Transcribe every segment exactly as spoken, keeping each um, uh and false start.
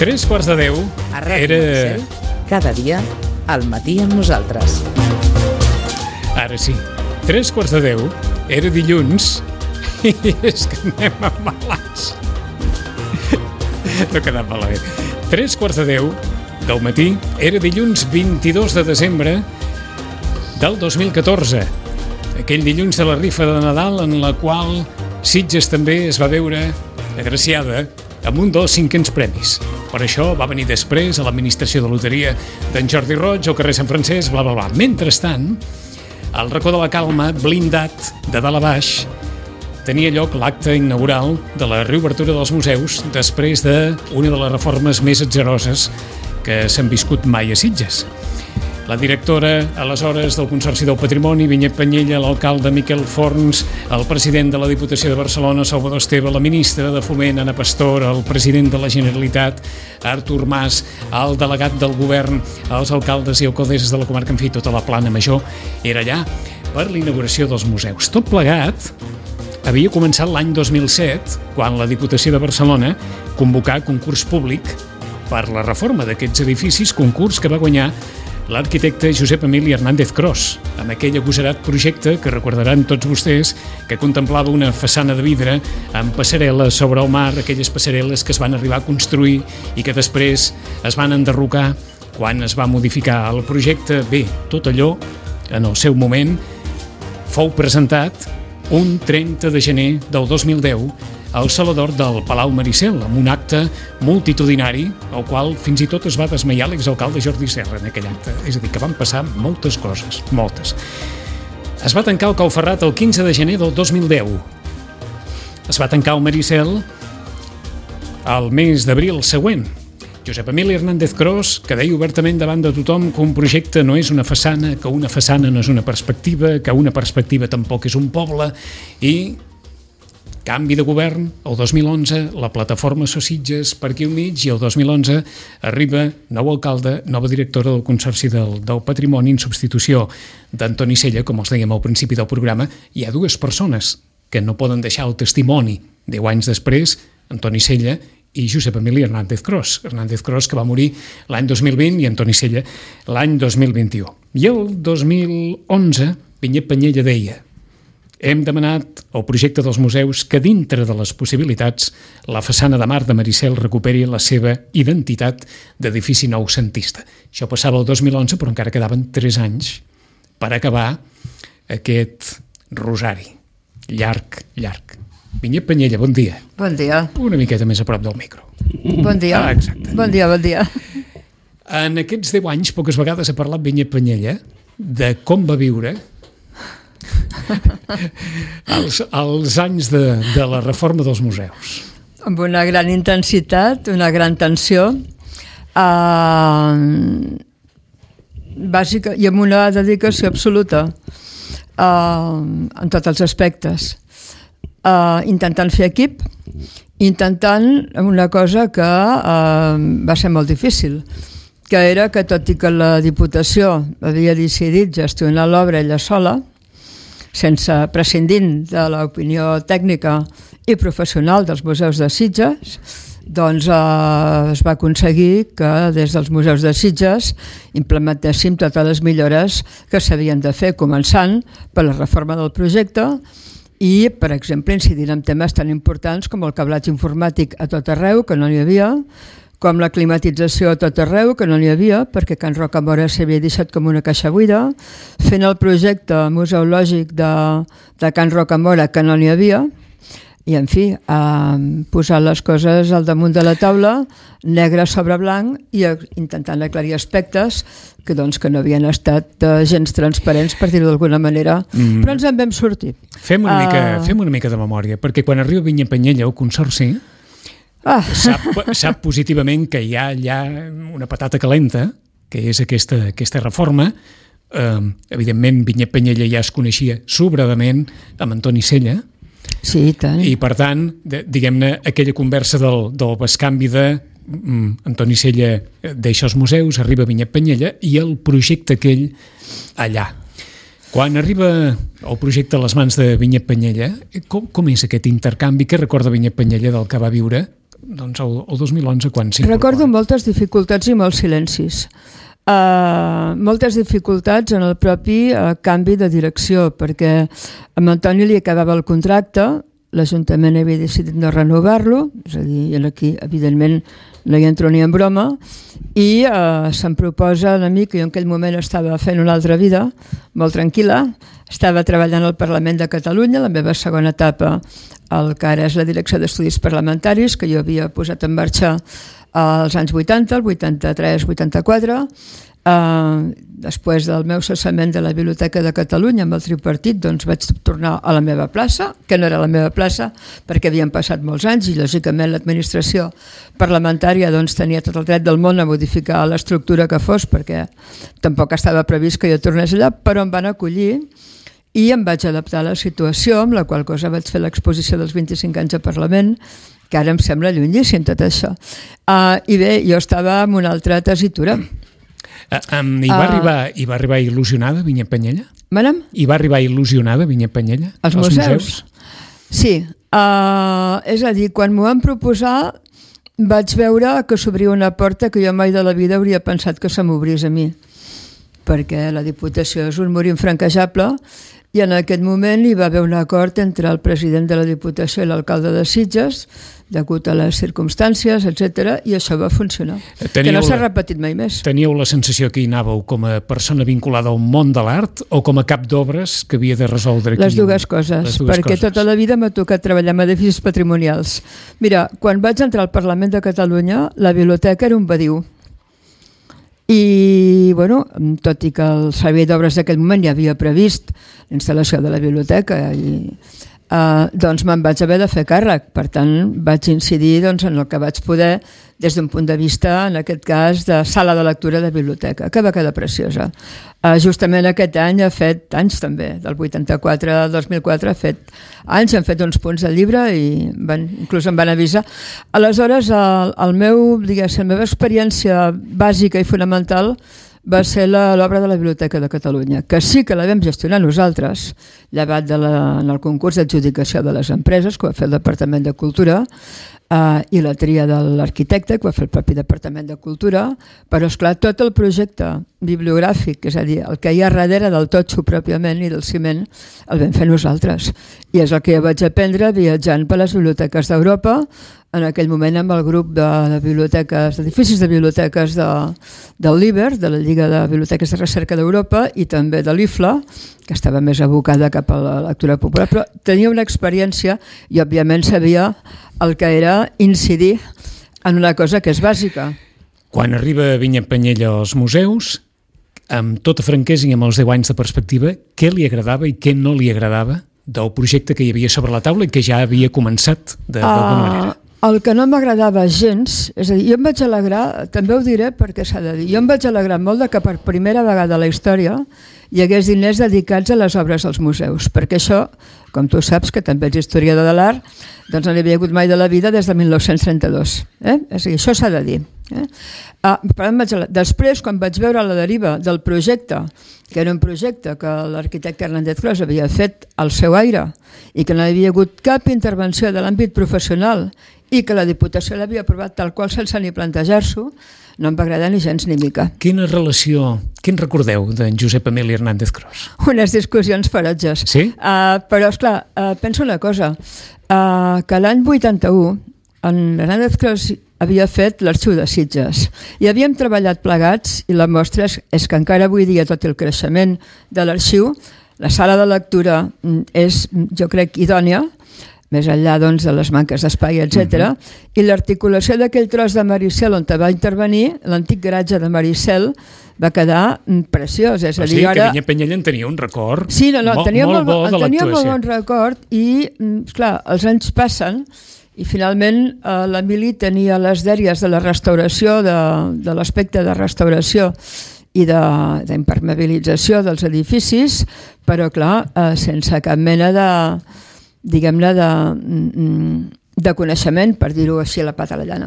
Tres quarts de deu. A Ràdio Maricel, cada dia, al matí amb nosaltres. Ara sí, tres quarts de deu, era dilluns, i és que anem a malats. No quedat malament. Tres quarts de deu del matí, era dilluns vint-i-dos de desembre del dos mil catorze. Aquell dilluns de la rifa de Nadal en la qual Sitges també es va veure agraciada amb un dels cinquens premis. Per això va venir després a l'administració de loteria d'en Jordi Roig, al carrer Sant Francesc, bla, bla, bla. Mentrestant, al racó de la Calma, blindat de dalt a baix, tenia lloc l'acte inaugural de la reobertura dels museus després d'una de les reformes més atzeroses que s'han viscut mai a Sitges. La directora, aleshores, del Consorci del Patrimoni, Vinyet Penyella, l'alcalde Miquel Forns, el president de la Diputació de Barcelona, Salvador Esteve, la ministra de Foment, Ana Pastor, el president de la Generalitat, Artur Mas, el delegat del govern, els alcaldes i alcaldesses de la comarca, en fi, tota la plana major, era allà per l'inauguració dels museus. Tot plegat havia començat l'any dos mil set, quan la Diputació de Barcelona convocà concurs públic per la reforma d'aquests edificis, concurs que va guanyar l'arquitecte Josep Emili Hernández Cros, amb aquell agosarat projecte que recordaran tots vostès, que contemplava una façana de vidre amb passarel·les sobre el mar, aquelles passarel·les que es van arribar a construir i que després es van enderrocar quan es va modificar el projecte. Bé, tot allò, en el seu moment, fou presentat un trenta de gener del dos mil deu al Saló d'Or del Palau Maricel, amb un acte multitudinari, al qual fins i tot es va desmaiar l'exalcalde Jordi Serra en aquell acte. És a dir, que van passar moltes coses, moltes. Es va tancar el Cau Ferrat el quinze de gener del dos mil deu. Es va tancar el Maricel al mes d'abril següent. Josep Emili Hernández Cros, que deia obertament davant de tothom que un projecte no és una façana, que una façana no és una perspectiva, que una perspectiva tampoc és un poble, i canvi de govern, el dos mil onze, la plataforma So Sitges per aquí al mig, i el dos mil onze arriba nou alcalde, nova directora del Consorci del, del Patrimoni en substitució d'Antoni Sella, com els dèiem al principi del programa. Hi ha dues persones que no poden deixar el testimoni deu anys després, Antoni Sella i Josep Emili Hernández Cros. Hernández Cros, que va morir l'any dos mil vint, i Antoni Sella l'any dos mil vint-i-u. I el dos mil onze, Vinyet Penyella deia: hem demanat al projecte dels museus que, dintre de les possibilitats, la façana de mar de Maricel recuperi la seva identitat d'edifici noucentista. Això passava el dos mil onze, però encara quedaven tres anys per acabar aquest rosari. Llarg, llarg. Vinyet Penyella, bon dia. Bon dia. Una miqueta més a prop del micro. Bon dia. Ah, exacte. Bon dia, bon dia. En aquests deu anys, poques vegades ha parlat Vinyet Penyella de com va viure els, els anys de, de la reforma dels museus. Amb una gran intensitat, una gran tensió, eh, bàsica, i amb una dedicació absoluta eh, en tots els aspectes. Eh, intentant fer equip, intentant una cosa que eh, va ser molt difícil, que era que, tot i que la Diputació havia decidit gestionar l'obra ella sola, sense prescindint de l'opinió tècnica i professional dels museus de Sitges, doncs eh, es va aconseguir que des dels museus de Sitges implementéssim totes les millores que s'havien de fer, començant per la reforma del projecte i, per exemple, incidir en temes tan importants com el cablatge informàtic a tot arreu, que no n'hi havia, com la climatització a tot arreu, que no n'hi havia, perquè Can Rocamora s'havia deixat com una caixa buida, fent el projecte museològic de, de Can Rocamora, que no n'hi havia, i, en fi, eh, posar les coses al damunt de la taula, negre sobre blanc, i intentant aclarir aspectes que, doncs, que no havien estat eh, gens transparents, per dir-ho d'alguna manera, mm. però ens en vam sortir. Fem una, uh... mica, fem una mica de memòria, perquè quan arriba Vinyet Penyella al Consorci, Ah. Sap, sap positivament que hi ha allà una patata calenta, que és aquesta, aquesta reforma. Eh, evidentment, Vinyet Penyella ja es coneixia sobradament amb Antoni Sella. Sí, i tant. I, per tant, de, diguem-ne, aquella conversa del, del bescanvi de mm, Antoni Sella deixa els museus, arriba Vinyet Penyella, i el projecte aquell allà. Quan arriba el projecte a les mans de Vinyet Penyella, com, com és aquest intercanvi? Què recorda Vinyet Penyella del que va viure doncs, el, el dos mil onze, quan s'incorpora? Recordo moltes dificultats i molts silencis. Uh, moltes dificultats en el propi uh, canvi de direcció, perquè a Antoni li acabava el contracte, l'Ajuntament havia decidit no renovar-lo, és a dir, aquí evidentment no hi entro ni en broma, i uh, se'm proposa a mi, que jo en aquell moment estava fent una altra vida, molt tranquil·la, estava treballant al Parlament de Catalunya, la meva segona etapa, el que ara és la Direcció d'Estudis Parlamentaris, que jo havia posat en marxa als anys vuitanta, el vuitanta-tres vuitanta-quatre, Uh, després del meu cessament de la Biblioteca de Catalunya amb el tripartit, doncs vaig tornar a la meva plaça, que no era la meva plaça perquè havien passat molts anys i lògicament l'administració parlamentària doncs tenia tot el dret del món a modificar l'estructura que fos, perquè tampoc estava previst que jo tornés allà, però em van acollir i em vaig adaptar a la situació, amb la qual cosa vaig fer l'exposició dels vint-i-cinc anys al Parlament, que ara em sembla llunyíssim tot això. Uh, I bé, jo estava en una altra tessitura. Uh, um, i, va uh, arribar, I va arribar il·lusionada Vinyet Penyella? Manem? I va arribar il·lusionada Vinyet Penyella? Els museus? museus? Sí. Uh, és a dir, quan m'ho van proposar vaig veure que s'obria una porta que jo mai de la vida hauria pensat que se m'obrís a mi, perquè la Diputació és un mur infranquejable i en aquest moment hi va haver un acord entre el president de la Diputació i l'alcalde de Sitges, degut a les circumstàncies, etcètera, i això va funcionar. Teníeu que no s'ha repetit mai més. Teníeu la sensació que hi anàveu com a persona vinculada al món de l'art o com a cap d'obres que havia de resoldre aquí? Les dues coses, Les dues perquè coses. Tota la vida m'ha tocat treballar amb edificis patrimonials. Mira, quan vaig entrar al Parlament de Catalunya, la biblioteca era un badiu. I, bueno, tot i que el servei d'obres d'aquell moment ja havia previst la instal·lació de la biblioteca i Uh, doncs me'n vaig haver de fer càrrec, per tant vaig incidir doncs, en el que vaig poder des d'un punt de vista, en aquest cas, de sala de lectura de biblioteca, que va quedar preciosa. Uh, justament aquest any ha fet anys també, del vuitanta-quatre al dos mil quatre ha fet anys, han fet uns punts del llibre i van, inclús em van avisar. Aleshores, el, el meu, diguéssim, la meva experiència bàsica i fonamental va ser l'obra de la Biblioteca de Catalunya, que sí que la vam gestionar nosaltres, llevat de la, en el concurs d'adjudicació de les empreses, que va fer el Departament de Cultura, eh, i la tria de l'arquitecte, que va fer el propi Departament de Cultura, però, esclar, tot el projecte bibliogràfic, és a dir, el que hi ha darrere del totxo pròpiament i del ciment, el vam fer nosaltres. I és el que jo vaig aprendre viatjant per les biblioteques d'Europa, en aquell moment amb el grup de, de biblioteques, d'edificis de biblioteques de, del l'Iber, de la Lliga de Biblioteques de Recerca d'Europa, i també de l'I F L A, que estava més abocada cap a la lectura popular, però tenia una experiència i òbviament sabia el que era incidir en una cosa que és bàsica. Quan arriba Vinyet Penyella als museus, amb tota franquesa i amb els deu anys de perspectiva, què li agradava i què no li agradava del projecte que hi havia sobre la taula i que ja havia començat d'alguna uh... manera? El que no m'agradava gens, és a dir, jo em vaig alegrar, també ho diré perquè s'ha de dir, jo em vaig alegrar molt de que per primera vegada a la història hi hagués diners dedicats a les obres dels museus, perquè això, com tu saps, que també ets historiador de l'art, doncs no hi havia hagut mai de la vida des de mil nou-cents trenta-dos. Eh? És a dir, això s'ha de dir. Eh? Ah, però em vaig... Després, quan vaig veure la deriva del projecte, que era un projecte que l'arquitecte Hernández Cros havia fet al seu aire i que no hi havia hagut cap intervenció de l'àmbit professional i que la Diputació l'havia aprovat tal qual sense ni plantejar-s'ho, no em va agradar ni gens ni mica. Quina relació, què en recordeu d'en Josep Emili Hernández Cros? Unes discussions ferotges. Sí? Uh, però, esclar, uh, penso una cosa, uh, que l'any vuitanta-u en Hernández Cros havia fet l'Arxiu de Sitges i havíem treballat plegats i la mostra és, és que encara avui dia, tot el creixement de l'arxiu, la sala de lectura és, jo crec, idònia, més enllà doncs, de les manques d'espai, etcètera. Uh-huh. I l'articulació d'aquell tros de Maricel on va intervenir, l'antic garatge de Maricel, va quedar preciós. És a dir, sí, ara... que Vinyet Penyella en tenia un record sí, no, no, molt, tenia molt bo de tenia l'actuació. molt bon record i, esclar, els anys passen i finalment eh, l'Emili tenia les dèries de la restauració, de, de l'aspecte de restauració i d'impermeabilització dels edificis, però, clar, eh, sense cap mena de... diguem-ne, de, de coneixement, per dir-ho així a la pata a la llana,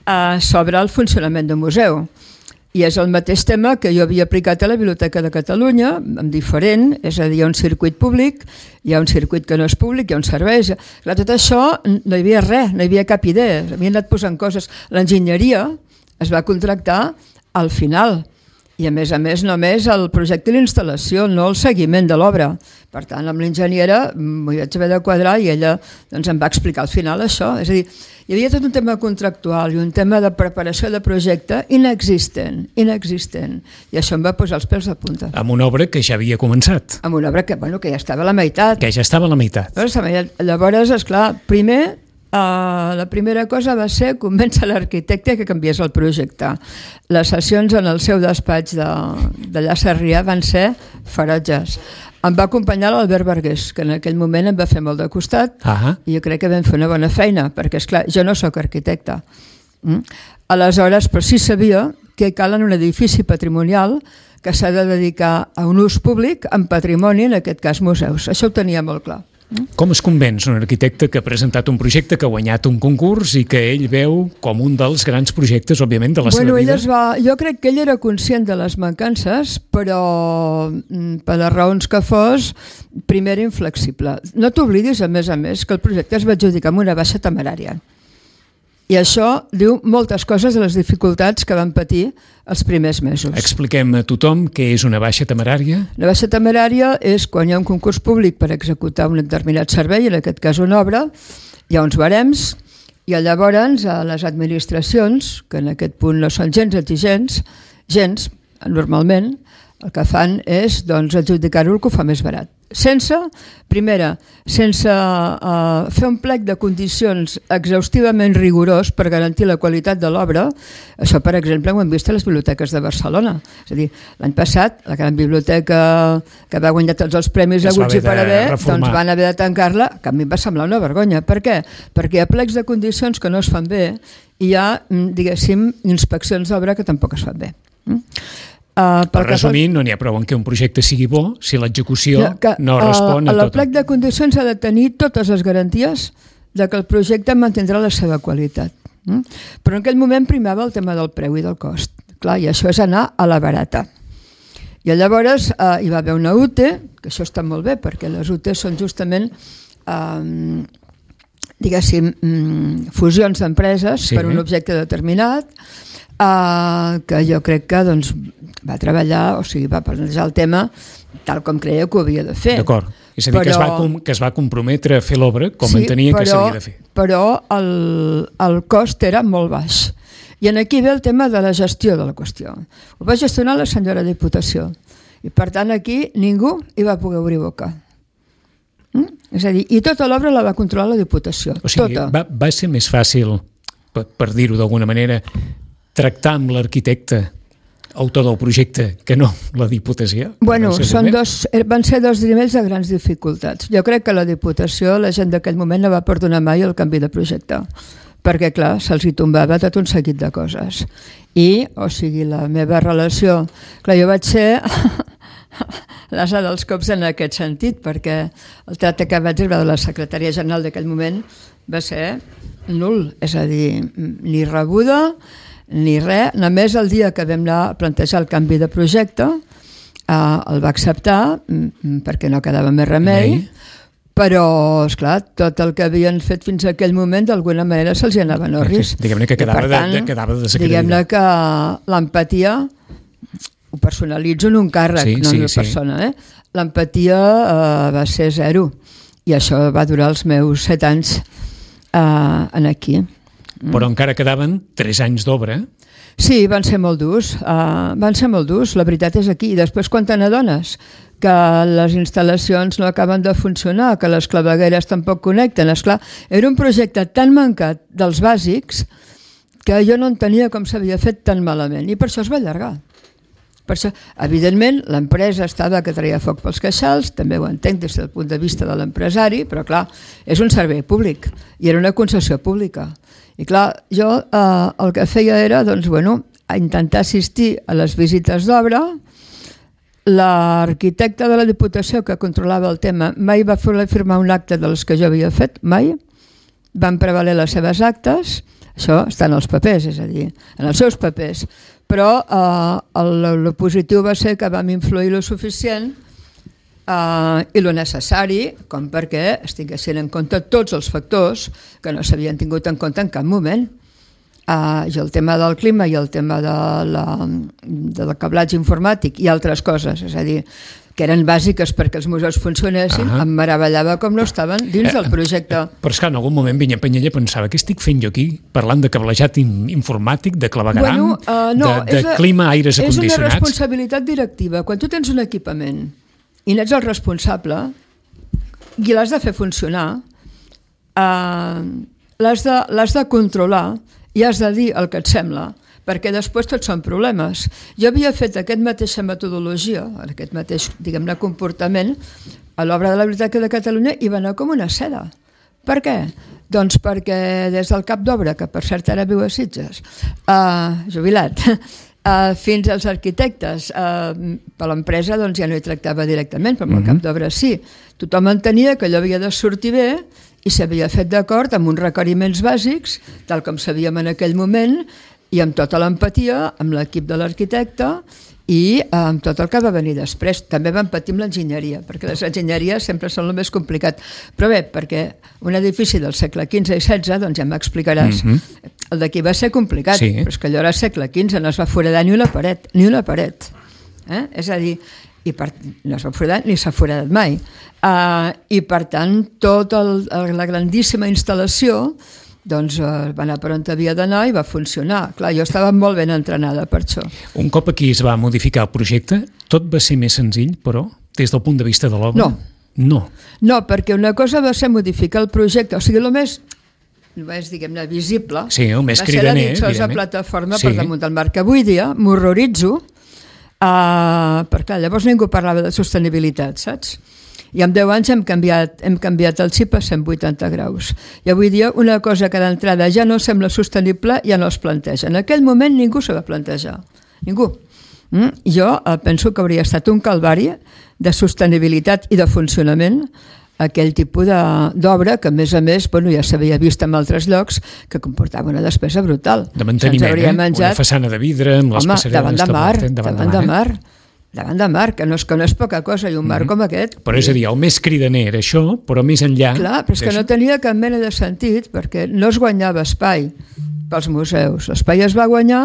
eh, sobre el funcionament d'un museu. I és el mateix tema que jo havia aplicat a la Biblioteca de Catalunya, amb diferent, és a dir, hi ha un circuit públic, hi ha un circuit que no és públic, hi ha un servei. Clar, tot això no hi havia res, no hi havia cap idea, havien anat posant coses. L'enginyeria es va contractar al final, i a més a més només el projecte i l'instal·lació, no el seguiment de l'obra. Per tant, amb l'enginyera m'ho vaig haver de quadrar i ella doncs, em va explicar al final això. És a dir, hi havia tot un tema contractual i un tema de preparació de projecte inexistent, inexistent. I això em va posar els pèls de punta. Amb una obra que ja havia començat. Amb una obra que, bueno, que ja estava a la meitat. Que ja estava a la meitat. Llavors, esclar, primer... Uh, la primera cosa va ser convèncer l'arquitecte que canviés el projecte. Les sessions en el seu despatx de, d'allà a Sarrià van ser ferotges. Em va acompanyar l'Albert Vergés, que en aquell moment em va fer molt de costat, uh-huh. i jo crec que vam fer una bona feina, perquè, esclar, jo no sóc arquitecte. Mm? Aleshores, però sí sabia que cal en un edifici patrimonial que s'ha de dedicar a un ús públic en patrimoni, en aquest cas museus. Això ho tenia molt clar. Com es convenç un arquitecte que ha presentat un projecte, que ha guanyat un concurs i que ell veu com un dels grans projectes, òbviament, de la bueno, seva vida? Va, jo crec que ell era conscient de les mancances, però per les raons que fos, primer era inflexible. No t'oblidis, a més a més, que el projecte es va adjudicar amb una baixa temerària. I això diu moltes coses de les dificultats que van patir els primers mesos. Expliquem a tothom què és una baixa temerària. La baixa temerària és quan hi ha un concurs públic per executar un determinat servei, en aquest cas una obra, hi ha uns barems, i llavors a les administracions, que en aquest punt no són gens exigents, gens, normalment, el que fan és doncs, adjudicar-ho el que ho fa més barat. Sense, primera, sense uh, fer un plec de condicions exhaustivament rigorós per garantir la qualitat de l'obra. Això, per exemple, ho hem vist a les biblioteques de Barcelona. És a dir, l'any passat, la gran biblioteca que va guanyar tots els premis Aguts i Paravé, doncs van haver de tancar-la, que a mi em va semblar una vergonya. Per què? Perquè hi ha plecs de condicions que no es fan bé i hi ha, diguéssim, inspeccions d'obra que tampoc es fan bé. Mm? Uh, per resumir, no n'hi ha prou en que un projecte sigui bo si l'execució que, no respon uh, a tot. El plec de condicions ha de tenir totes les garanties de que el projecte mantindrà la seva qualitat. Mm? Però en aquell moment primava el tema del preu i del cost. Clar, i això és anar a la barata. I llavors uh, hi va haver una U T E, que això està molt bé, perquè les U T E són justament um, diguéssim, um, fusions d'empreses sí. per un objecte determinat, Uh, que jo crec que doncs, va treballar, o sigui, va plantejar el tema tal com creia que ho havia de fer. D'acord. És a dir, però, que, es va com, que es va comprometre a fer l'obra com sí, entenia però, que s'havia de fer. Però el, el cost era molt baix. I en aquí ve el tema de la gestió de la qüestió. Ho va gestionar la senyora Diputació. I per tant aquí ningú hi va poder obrir boca. Mm? És a dir, i tota l'obra la va controlar la Diputació. O sigui, tota. va, va ser més fàcil, per, per dir-ho d'alguna manera, tractar amb l'arquitecte autor del projecte que no la Diputació? Bueno, són dos, van ser dos nivells de grans dificultats. Jo crec que la Diputació, la gent d'aquell moment no va perdonar mai el canvi de projecte, perquè clar, se'ls hi tombava tot un seguit de coses. I, o sigui, la meva relació... Clar, jo vaig ser l'asa dels cops en aquest sentit, perquè el tracte que vaig rebre de la secretària general d'aquell moment va ser nul, és a dir, ni rebuda ni res, només el dia que vam anar a plantejar el canvi de projecte eh, el va acceptar perquè no quedava més remei, però esclar, tot el que havien fet fins a aquell moment d'alguna manera se'ls anava en orris. Diguem-ne que quedava, tant, de, quedava desacreditat. Diguem-ne que l'empatia ho personalitzo en un càrrec, sí, no en una sí, persona, eh? L'empatia eh, va ser zero i això va durar els meus set anys eh, en aquí. Però encara quedaven tres anys d'obra. Sí, van ser molt durs, uh, van ser molt durs, la veritat és aquí. I després quan te n'adones que les instal·lacions no acaben de funcionar, que les clavegueres tampoc connecten, esclar, era un projecte tan mancat dels bàsics que jo no entenia com s'havia fet tan malament i per això es va allargar. Per això, evidentment, l'empresa estava que traia foc pels queixals, també ho entenc des del punt de vista de l'empresari, però clar, és un servei públic i era una concessió pública. I clar, jo eh, el que feia era doncs, bueno, intentar assistir a les visites d'obra. L'arquitecte de la Diputació que controlava el tema mai va fer firmar un acte de les que jo havia fet, mai. Van prevaler les seves actes, això està en els papers, és a dir, en els seus papers. però uh, el, el positiu va ser que vam influir lo suficient uh, i lo necessari com perquè es tinguessin en compte tots els factors que no s'havien tingut en compte en cap moment. Uh, i el tema del clima i el tema de la, del cablatge informàtic i altres coses, és a dir, que eren bàsiques perquè els museus funcionessin, uh -huh. em meravellava com no estaven dins del projecte. Eh, però és que en algun moment Vinyet Penyella pensava què estic fent jo aquí, parlant de cablejat informàtic, de clavegueram, bueno, uh, no, de, de la, clima, aires acondicionats. És una responsabilitat directiva. Quan tu tens un equipament i n'ets el responsable i l'has de fer funcionar, uh, l'has de, l'has de controlar i has de dir el que et sembla, perquè després tots són problemes. Jo havia fet aquesta mateixa metodologia, aquest mateix, diguem-ne, comportament, a l'obra de la Biblioteca de Catalunya i va anar com una seda. Per què? Doncs perquè des del cap d'obra, que per cert ara viu a Sitges, uh, jubilat, uh, fins als arquitectes, uh, per l'empresa doncs ja no hi tractava directament, però amb el cap d'obra sí. Tothom entenia que allò havia de sortir bé i s'havia fet d'acord amb uns requeriments bàsics, tal com sabíem en aquell moment, i amb tota l'empatia, amb l'equip de l'arquitecte i amb tot el que va venir després. També vam patir amb l'enginyeria, perquè les enginyeries sempre són el més complicat. Però bé, perquè un edifici del segle quinze i setze, doncs ja m'explicaràs, mm-hmm. el d'aquí va ser complicat, sí. Però és que allò era segle quinze, no es va foradar ni una paret, ni una paret. Eh? És a dir, i per, no es va foradar ni s'ha foradat mai. Uh, I per tant, tota la grandíssima instal·lació doncs uh, va anar per on havia d'anar i va funcionar. Clar, jo estava molt ben entrenada per això. Un cop aquí es va modificar el projecte, tot va ser més senzill, però, des del punt de vista de l'obra? No. No. No, perquè una cosa va ser modificar el projecte, o sigui, el més, més diguem-ne, visible, sí, el més va cridaner, ser la ditxosa plataforma sí. per damunt del mar, que avui dia m'horroritzo, uh, perquè clar, llavors ningú parlava de sostenibilitat, saps? I en deu anys hem canviat, hem canviat el xip a cent vuitanta graus. I avui dia una cosa que d'entrada ja no sembla sostenible ja no es planteja. En aquell moment ningú s'ho va plantejar. Ningú. Mm? Jo eh, penso que hauria estat un calvari de sostenibilitat i de funcionament aquell tipus d'obra que a més a més bueno, ja s'havia vist en altres llocs que comportava una despesa brutal. De manteniment, eh? Menjat... Una façana de vidre amb les Home, passareres... davant de mar, davant, davant de mar. Eh? Davant de mar, que no, és, que no és poca cosa, i un mar mm-hmm. com aquest... Però és a dir, el més cridaner era això, però més enllà... Clar, però és que no tenia cap mena de sentit, perquè no es guanyava espai pels museus. L'espai es va guanyar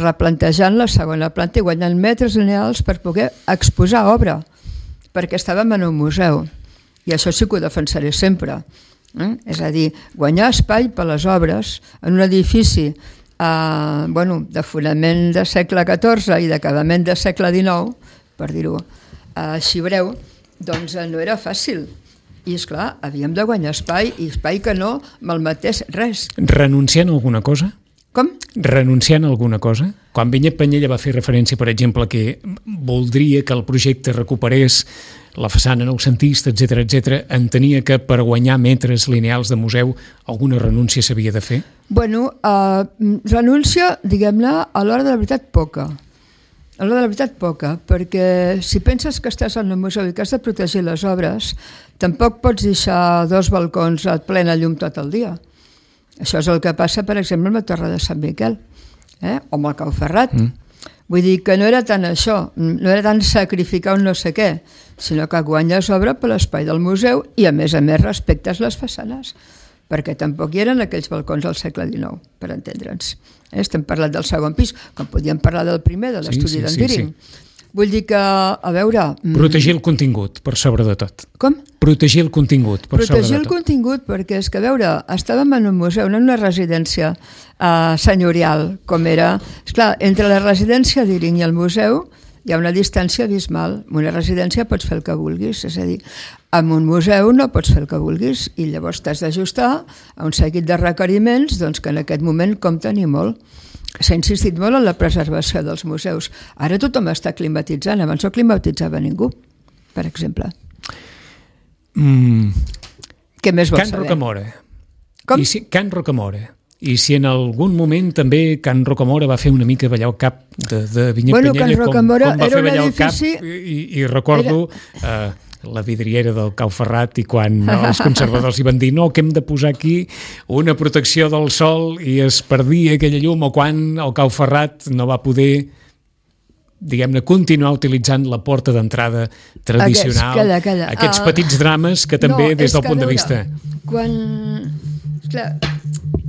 replantejant la segona planta i guanyant metres lineals per poder exposar obra, perquè estàvem en un museu. I això sí que ho defensaré sempre. Eh? És a dir, guanyar espai per les obres en un edifici Uh, bueno, de fonament de segle catorze i d'acabament de segle dinou, per dir-ho uh, així breu, doncs uh, no era fàcil. I esclar, havíem de guanyar espai, i espai que no malmetés res. Renunciant a alguna cosa? Com? Renunciant a alguna cosa? Quan Vinyet Penyella va fer referència, per exemple, que voldria que el projecte recuperés la façana noucentista, etcètera, etcètera, entenia que per guanyar metres lineals de museu alguna renúncia s'havia de fer? Bueno, uh, renúncia, diguem-ne, a l'hora de la veritat poca. A l'hora de la veritat poca, perquè si penses que estàs en un museu i que has de protegir les obres, tampoc pots deixar dos balcons a plena llum tot el dia. Això és el que passa, per exemple, amb la Torre de Sant Miquel, eh? o amb el Cau Ferrat. Mm. Vull dir que no era tant això, no era tant sacrificar un no sé què, sinó que guanyes obra per l'espai del museu i, a més a més, respectes les façanes, perquè tampoc hi eren aquells balcons del segle dinou, per entendre'ns. Eh? Estem parlant del segon pis, com podíem parlar del primer, de l'estudi sí, sí, d'en Tíring. Sí, sí. Vull dir que, a veure... Protegir el contingut, per sobre de tot. Com? Protegir el contingut, per Protegir sobre de tot. Protegir el contingut, perquè és que, a veure, estàvem en un museu, no en una residència uh, senyorial, com era... Esclar, entre la residència d'Iring i el museu hi ha una distància abismal. En una residència pots fer el que vulguis, és a dir, en un museu no pots fer el que vulguis i llavors t'has d'ajustar a un seguit de requeriments doncs, que en aquest moment compten i molt. S'ha insistit molt en la preservació dels museus. Ara tothom està climatitzant, abans no climatitzava ningú, per exemple. Mm. Què més vols Can saber? Rocamora. Com? I si, Can Rocamora. I si en algun moment també Can Rocamora va fer una mica ballar el cap de, de Vinyet bueno, Penyella, com, com va fer ballar edifici... el cap, i, i recordo... Era... Eh, la vidriera del Cau Ferrat i quan els conservadors hi van dir no, que hem de posar aquí una protecció del sol i es perdia aquella llum, o quan el Cau Ferrat no va poder, diguem-ne, continuar utilitzant la porta d'entrada tradicional. Aquests, calla, calla. Aquests uh, petits drames que també, no, des del punt veure, de vista... Quan... Clar,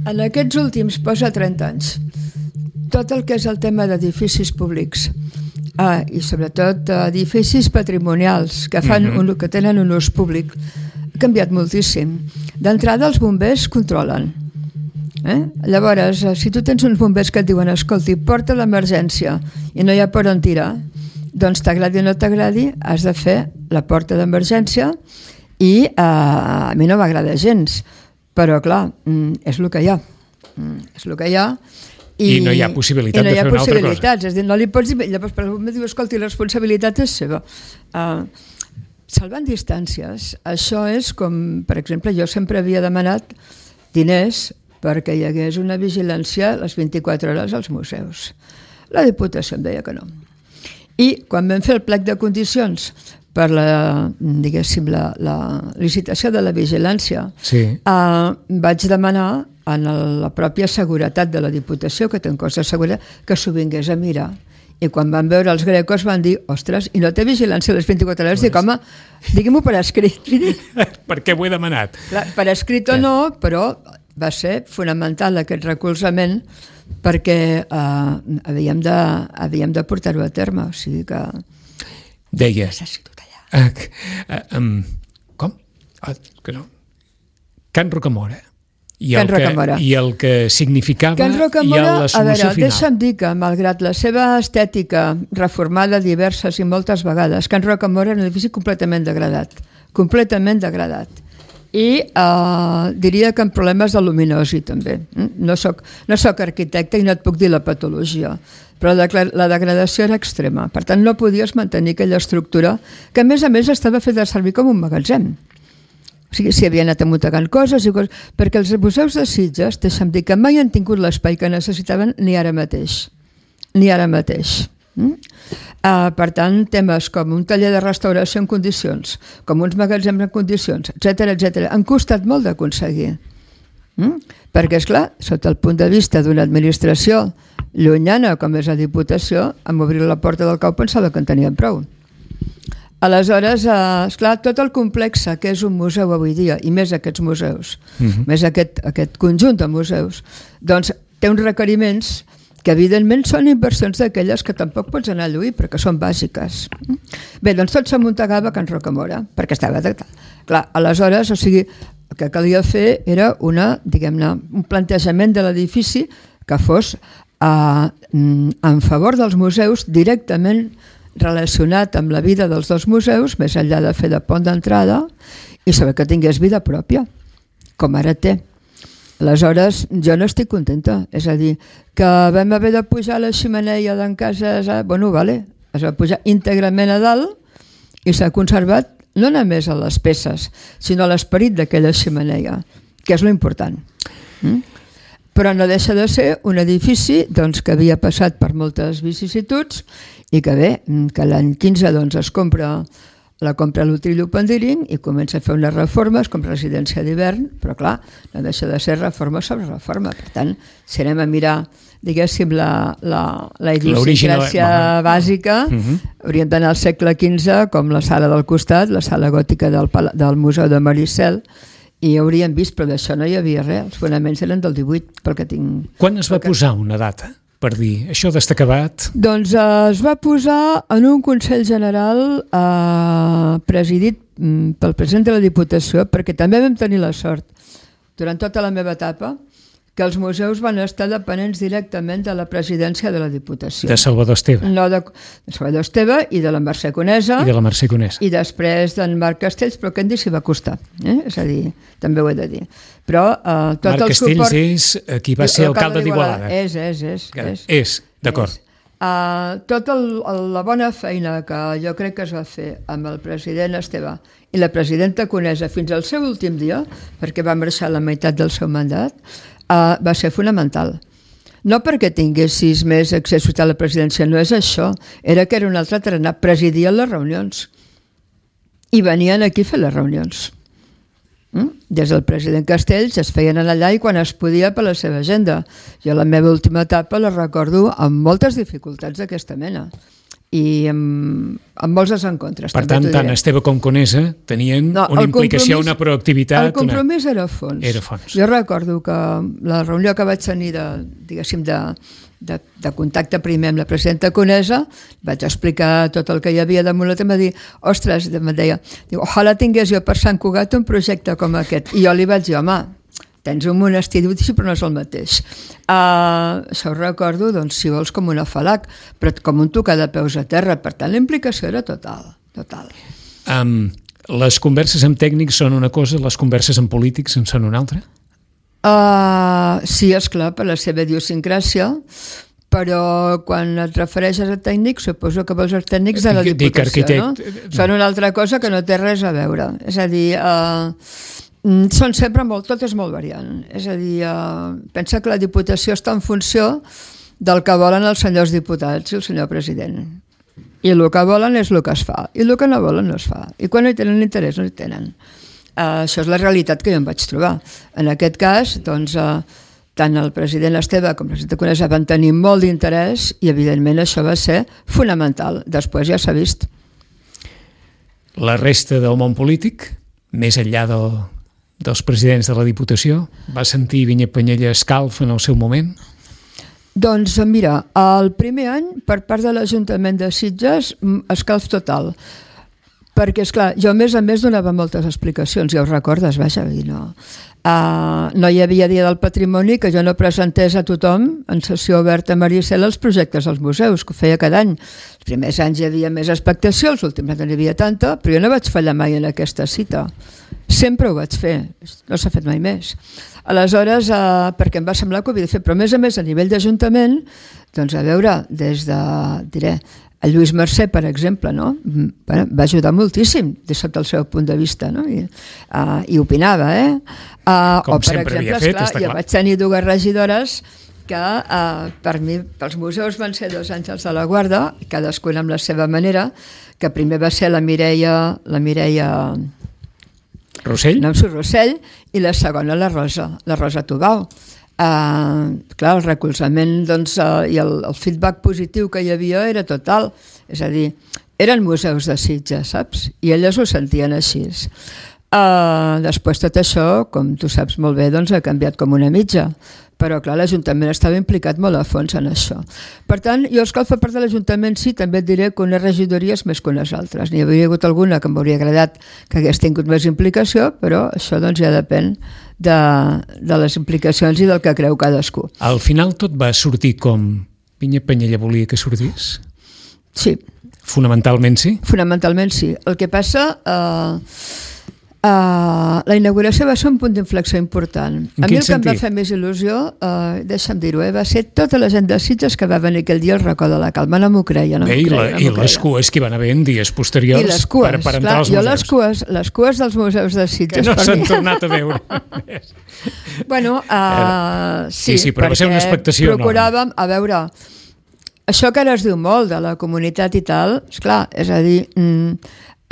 en aquests últims, posa trenta anys, tot el que és el tema d'edificis públics, ah, i sobretot edificis patrimonials que, fan mm-hmm. un, que tenen un ús públic, ha canviat moltíssim. D'entrada, els bombers controlen. Eh? Llavors, si tu tens uns bombers que et diuen escolti, porta d'emergència i no hi ha per on tirar, doncs t'agradi o no t'agradi, has de fer la porta d'emergència i eh, a mi no m'agrada gens, però clar, és el que hi ha. És el que hi ha. I, I no hi ha possibilitat no de fer una altra cosa. És dir, no li pots dir, llavors per algú em diu, escolti, la responsabilitat és seva. Uh, salvant distàncies, això és com, per exemple, jo sempre havia demanat diners perquè hi hagués una vigilància les vint-i-quatre hores als museus. La Diputació em deia que no. I quan vam fer el plec de condicions per la, diguéssim, la, la licitació de la vigilància, sí. eh, vaig demanar a la pròpia seguretat de la Diputació, que té un cos de seguretat, que s'ho vingués a mirar. I quan van veure els grecos van dir, ostres, i no té vigilància a les vint-i-quatre hores? Dic, home, digui'm-ho per escrit. Per què ho he demanat? Clar, per escrit o no, però va ser fonamental aquest recolzament perquè eh, havíem de, havíem de portar-ho a terme. O sigui que... Deia... Necessito tallar. Uh, uh, um, com? Uh, que no. Can Rocamora. I Can el, que, Rocamora. I el que significava Can Rocamora, i la solució a veure, final. Deixa'm dir que, malgrat la seva estètica reformada diverses i moltes vegades, Can Rocamora era un edifici completament degradat. Completament degradat. I eh, diria que amb problemes de luminosi també. No soc, no soc arquitecte i no et puc dir la patologia, però la, la degradació era extrema. Per tant, no podies mantenir aquella estructura que, a més a més, estava feta servir com un magatzem. O sigui, s'hi havia anat amuntegant coses i coses, perquè els museus de Sitges, deixa'm dir que mai han tingut l'espai que necessitaven ni ara mateix. Ni ara mateix. Mm? Uh, per tant, temes com un taller de restauració en condicions, com uns magatzems en condicions, etcètera, etcètera, han costat molt d'aconseguir. Mm? Perquè, esclar, sota el punt de vista d'una administració llunyana com és la Diputació, amb obrir la porta del cau pensava que en tenien prou. Aleshores, eh, esclar, tot el complex que és un museu avui dia, i més aquests museus, uh-huh. més aquest, aquest conjunt de museus, doncs té uns requeriments que evidentment són inversions d'aquelles que tampoc pots anar a lluir perquè són bàsiques. Bé, doncs tot s'amuntegava a Can Rocamora, perquè estava detectat. Clar, aleshores, o sigui, el que calia fer era una, diguem-ne, un plantejament de l'edifici que fos eh, en favor dels museus, directament relacionat amb la vida dels dos museus, més enllà de fer de pont d'entrada, i saber que tingués vida pròpia, com ara té. Aleshores, jo no estic contenta. És a dir, que vam haver de pujar la xemeneia d'en Casas, bueno, vale, es va pujar íntegrament a dalt i s'ha conservat no només a les peces, sinó a l'esperit d'aquella xemeneia, que és lo important. Mm? Però no deixa de ser un edifici doncs, que havia passat per moltes vicissituds i que bé, que l'any quinze doncs, es compra la compra l'Utrillo Pandíring i comença a fer unes reformes com residència d'hivern, però clar, no deixa de ser reforma sobre reforma. Per tant, si anem a mirar, diguéssim, la, la, la idiosincràsia bàsica, uh-huh. hauríem d'anar al segle quinze, com la sala del costat, la sala gòtica del, del Museu de Maricel, i hauríem vist, però d'això no hi havia res, els fonaments eren del divuit, pel que tinc... Quan es va que... posar una data? Per dir, això d'estar acabat? Doncs eh, es va posar en un Consell General eh, presidit mm, pel president de la Diputació, perquè també vam tenir la sort, durant tota la meva etapa, que els museus van estar dependents directament de la presidència de la Diputació. De Salvador Esteve. No, de, de Salvador Esteve i de la Mercè Conesa. I de la Mercè Conesa. I després d'en Marc Castells, però que en dir s'hi va costar. Eh? És a dir, també ho he de dir. Però eh, tot Marc el Castells suport... és qui va ser alcalde d'Igualada. És, és, és. És, és d'acord. Uh, tota la bona feina que jo crec que es va fer amb el president Esteve i la presidenta Conesa fins al seu últim dia, perquè va marxar la meitat del seu mandat, uh, va ser fonamental. No perquè tinguessis més accés a la presidència, no és això, era que era un altre tarannà, presidien les reunions i venien aquí a fer les reunions. Mm? Des del president Castells es feien allà i quan es podia per la seva agenda. Jo la meva última etapa la recordo amb moltes dificultats d'aquesta mena i amb, amb molts desencontres. Per tant, tant Esteve com Conesa tenien no, una implicació, una proactivitat... El compromís una... era fons. Era fons. Jo recordo que la reunió que vaig tenir de, diguéssim, de, de, de contacte primer amb la presidenta Conesa, vaig explicar tot el que hi havia damunt la tema, dir, ostres, em deia, diu, ojalà tingués jo per Sant Cugat un projecte com aquest. I jo li vaig dir, home, tens un monestir, però no és el mateix. Uh, això ho recordo, doncs, si vols, com una falac, però com un tocar de peus a terra. Per tant, la implicació era total. total. Um, les converses amb tècnics són una cosa, les converses amb polítics en són una altra? Uh, sí, esclar, per la seva idiosincràsia, però quan et refereixes a tècnics, suposo que vols els tècnics de la Diputació, no? Són una altra cosa que no té res a veure. És a dir... Uh, són sempre molt, tot és molt variant. És a dir, eh, pensa que la Diputació està en funció del que volen els senyors diputats i el senyor president. I el que volen és el que es fa. I el que no volen no es fa. I quan no hi tenen interès, no hi tenen. Eh, això és la realitat que jo em vaig trobar. En aquest cas, doncs, eh, tant el president Esteve com el president Conesa van tenir molt d'interès i, evidentment, això va ser fonamental. Després ja s'ha vist. La resta del món polític, més enllà del dels presidents de la Diputació, va sentir Vinyet Penyella escalf en el seu moment? Doncs mira, el primer any per part de l'Ajuntament de Sitges escalf total, perquè esclar, jo a més a més donava moltes explicacions, ja ho recordes, vaja, no, uh, no hi havia dia del patrimoni que jo no presentés a tothom en sessió oberta a Maricel els projectes dels museus, que ho feia cada any. Els primers anys hi havia més expectació, els últims anys no hi havia tanta, però jo no vaig fallar mai en aquesta cita. Sempre ho vaig fer, no s'ha fet mai més. Aleshores, eh, perquè em va semblar que ho havia de fer, però a més a més a nivell d'Ajuntament, doncs a veure, des de, diré, el Lluís Mercè, per exemple, no? Bueno, va ajudar moltíssim des del seu punt de vista, no? I, uh, i opinava, eh? Uh, Com o, per sempre exemple, havia fet, esclar, està clar. jo vaig tenir dues regidores que uh, per mi, pels museus van ser dos àngels de la guarda, cadascuna amb la seva manera, que primer va ser la Mireia, la Mireia Rossell? No, Rossell, i la segona la Rosa, la Rosa Tubau. Uh, clar, el recolzament doncs, uh, i el, el feedback positiu que hi havia era total, és a dir, eren museus de Sitges, saps? I elles ho sentien així. Uh, després tot això, com tu saps molt bé, doncs ha canviat com una mitja, però clar, l'Ajuntament estava implicat molt a fons en això. Per tant, jo escalf a part de l'Ajuntament sí, també et diré que unes regidories més que unes altres. N'hi hauria hagut alguna que m'hauria agradat que hagués tingut més implicació, però això doncs ja depèn de, de les implicacions i del que creu cadascú. Al final tot va sortir com Vinyet Penyella volia que sortís? Sí. Fonamentalment sí? Fonamentalment sí. El que passa... Eh, Uh, la inauguració va ser un punt d'inflexió important. A mi el que em va fer més il·lusió, uh, deixa'm dir-ho, eh, va ser tota la gent de Sitges que va venir aquell dia al racó de la Calma. No m'ho creia, no m'ho creia. I, la, no i les cues que hi van haver en dies posteriors I les cues, per, per entrar clar, als museus. Jo les cues, les cues dels museus de Sitges... Que no s'han tornat a veure. Bueno, uh, sí, sí, sí, però va ser una expectació procuràvem, a veure, això que ara es diu molt de la comunitat i tal, esclar, és a dir,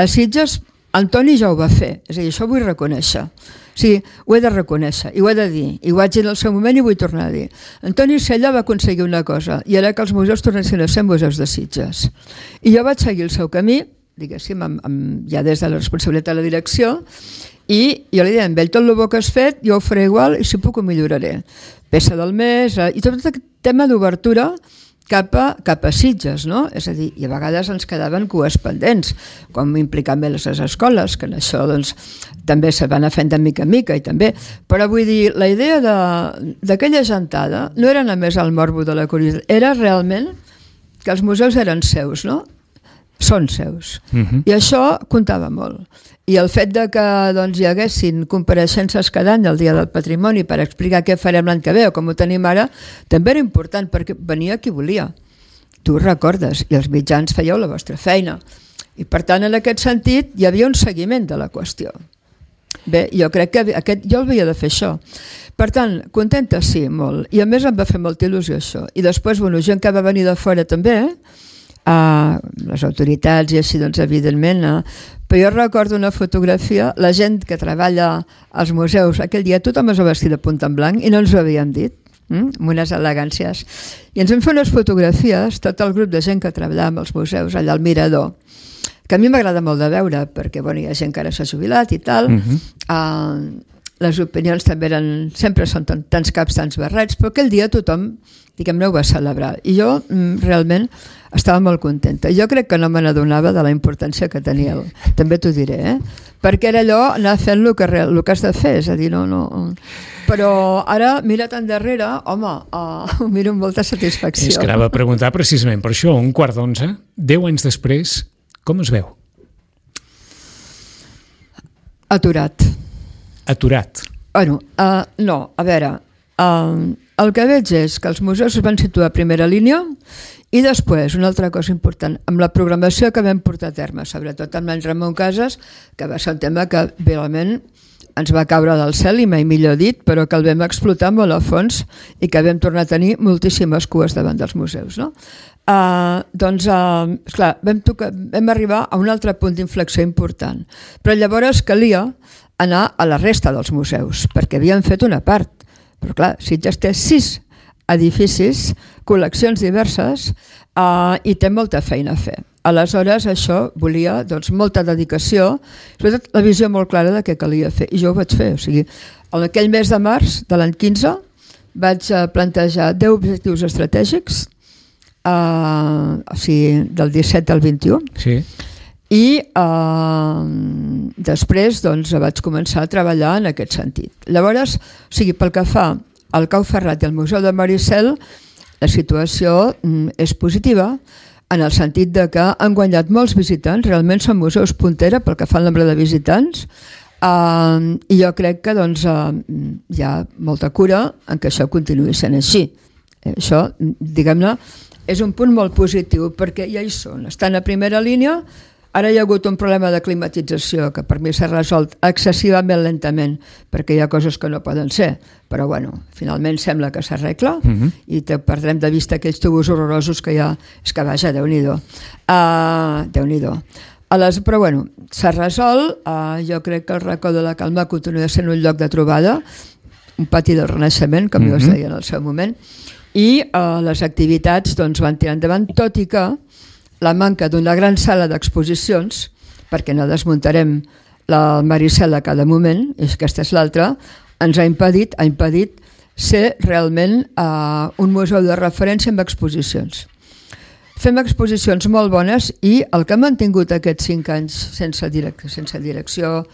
a Sitges Antoni ja ho va fer, és a dir, això ho vull reconèixer. Sí, ho he de reconèixer, i ho he de dir, i ho vaig dir en el seu moment i vull tornar a dir. Antoni Sella va aconseguir una cosa, i era que els museus tornessin a ser museus de Sitges. I jo vaig seguir el seu camí, diguéssim, amb, amb, ja des de la responsabilitat de la direcció, i jo li deia, amb ell tot el bo que has fet, jo ho faré igual i si puc ho milloraré. Peça del mes, i tot aquest tema d'obertura cap a, cap a Sitges, no? És a dir, i a vegades ens quedaven cues pendents, com implicar més les escoles, que en això doncs, també se van anar fent de mica en mica, i també, però vull dir, la idea d'aquella gentada no era només el morbo de la curiositat, era realment que els museus eren seus, no? Són seus. Uh-huh. I això comptava molt. I el fet de que doncs, hi haguessin compareixences cada any al Dia del Patrimoni per explicar què farem l'any que ve o com ho tenim ara, també era important perquè venia qui volia. Tu ho recordes, i els mitjans fèieu la vostra feina. I per tant, en aquest sentit, hi havia un seguiment de la qüestió. Bé, jo crec que aquest, jo el havia de fer això. Per tant, contenta sí, molt. I a més em va fer molta il·lusió això. I després, bueno, gent que va venir de fora també, eh? Uh, les autoritats i així, doncs, evidentment. Uh, però jo recordo una fotografia, la gent que treballa als museus, aquell dia tothom es va vestir de punta en blanc i no ens ho havíem dit, mm? amb unes elegàncies. I ens vam fer unes fotografies, tot el grup de gent que treballava als museus, allà al Mirador, que a mi m'agrada molt de veure, perquè bueno, hi ha gent que ara s'ha jubilat i tal. Uh-huh. Uh, les opinions també eren, sempre són tants caps, tants barrets, però aquell dia tothom, diguem-ne, ho va celebrar. I jo mm, realment estava molt contenta. Jo crec que no me n'adonava de la importància que tenia, el... també t'ho diré, eh? Perquè era allò, anar fent el que, el que has de fer, és a dir, no, no... Però ara, mira't endarrere, home, uh, ho miro amb molta satisfacció. És que anava a preguntar precisament per això, un quart d'onze, deu anys després, com es veu? Aturat. Aturat. Bueno, uh, no, a veure, uh, el que veig és que els museus es van situar a primera línia i després, una altra cosa important, amb la programació que vam portar a terme, sobretot amb l'any Ramon Casas, que va ser un tema que realment ens va caure del cel, i mai millor dit, però que el vam explotar molt a fons i que vam tornar a tenir moltíssimes cues davant dels museus. No? Uh, doncs, uh, esclar, vam, tocar, vam arribar a un altre punt d'inflexió important, però llavors calia anar a la resta dels museus, perquè havien fet una part. Però clar, Sitges té sis edificis, col·leccions diverses, uh, i té molta feina a fer. Aleshores, això volia doncs, molta dedicació, sobretot la visió molt clara de què calia fer, i jo ho vaig fer. O sigui, en aquell mes de març de l'any quinze vaig plantejar deu objectius estratègics, uh, o sigui, del disset al vint-i-u, sí. I uh, després doncs, vaig començar a treballar en aquest sentit. Llavors, o sigui, pel que fa al Cau Ferrat i al Museu de Maricel, la situació mm, és positiva, en el sentit de que han guanyat molts visitants, realment són museus puntera pel que fa al nombre de visitants, uh, i jo crec que doncs, uh, hi ha molta cura en que això continuï sent així. Eh, això, diguem-ne, és un punt molt positiu, perquè ja hi són, estan a primera línia. Ara hi ha hagut un problema de climatització que per mi s'ha resolt excessivament lentament, perquè hi ha coses que no poden ser, però bueno, finalment sembla que s'arregla, uh-huh. i te perdrem de vista aquells tubos horrorosos que hi ha. És que vaja, Déu-n'hi-do. Uh, Déu-n'hi-do. Les, però bueno, s'ha resolt. Uh, jo crec que el Racó de la Calma continua sent un lloc de trobada, un pati del Renaixement, com uh-huh. jo es deia en el seu moment, i uh, les activitats doncs, van tirar endavant, tot i que la manca d'una gran sala d'exposicions, perquè no desmuntarem la Maricel a cada moment, i aquesta és l'altra, ens ha impedit, ha impedit ser realment uh, un museu de referència amb exposicions. Fem exposicions molt bones i el que hem mantingut aquests cinc anys sense, direc- sense direcció,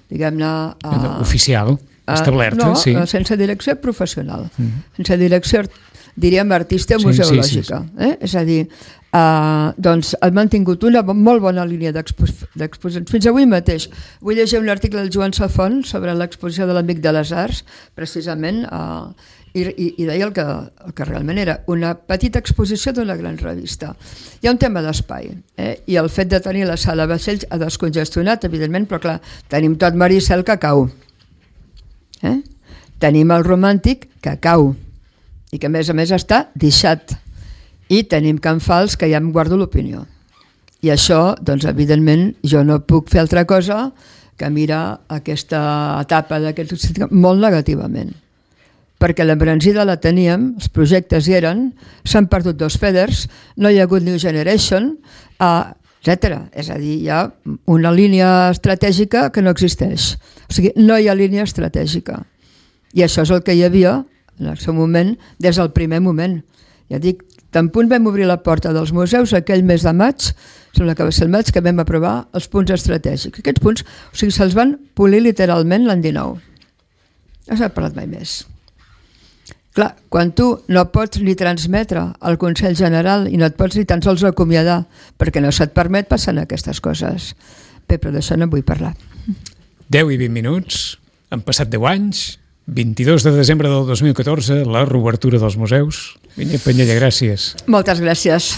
diguem-ne... Uh, oficial, establerta, uh, no, sí. No, sense direcció professional, mm-hmm. sense direcció, diríem, artística sí, museològica. Sí, sí, sí. Eh? És a dir, Uh, doncs han mantingut una molt bona línia d'exposicions. Fins avui mateix vull llegir un article del Joan Safont sobre l'exposició de l'Amic de les Arts, precisament, uh, i, i, i deia el que, el que realment era una petita exposició d'una gran revista. Hi ha un tema d'espai, eh? I el fet de tenir la sala vaixells ha descongestionat, evidentment, però clar, tenim tot Maricel que cau. Eh? Tenim el Romàntic que cau i que a més a més està deixat. I tenim Can Fals, que ja em guardo l'opinió. I això, doncs, evidentment, jo no puc fer altra cosa que mirar aquesta etapa d'aquest molt negativament. Perquè l'embranzida la teníem, els projectes hi eren, s'han perdut dos feders, no hi ha hagut New Generation, etcètera. És a dir, hi ha una línia estratègica que no existeix. O sigui, no hi ha línia estratègica. I això és el que hi havia en el seu moment, des del primer moment. Ja dic, tant punt vam obrir la porta dels museus aquell mes de maig, sembla que va ser el maig, que vam aprovar els punts estratègics. Aquests punts, o sigui, se'ls van polir literalment l'any dinou. No s'ha parlat mai més. Clar, quan tu no pots ni transmetre al Consell General i no et pots ni tan sols acomiadar perquè no se't permet, passen aquestes coses. Bé, però d'això no en vull parlar. deu i vint minuts, han passat deu anys, vint-i-dos de desembre del dos mil catorze, la reobertura dels museus. Vinyet Penyella, gràcies. Moltes gràcies.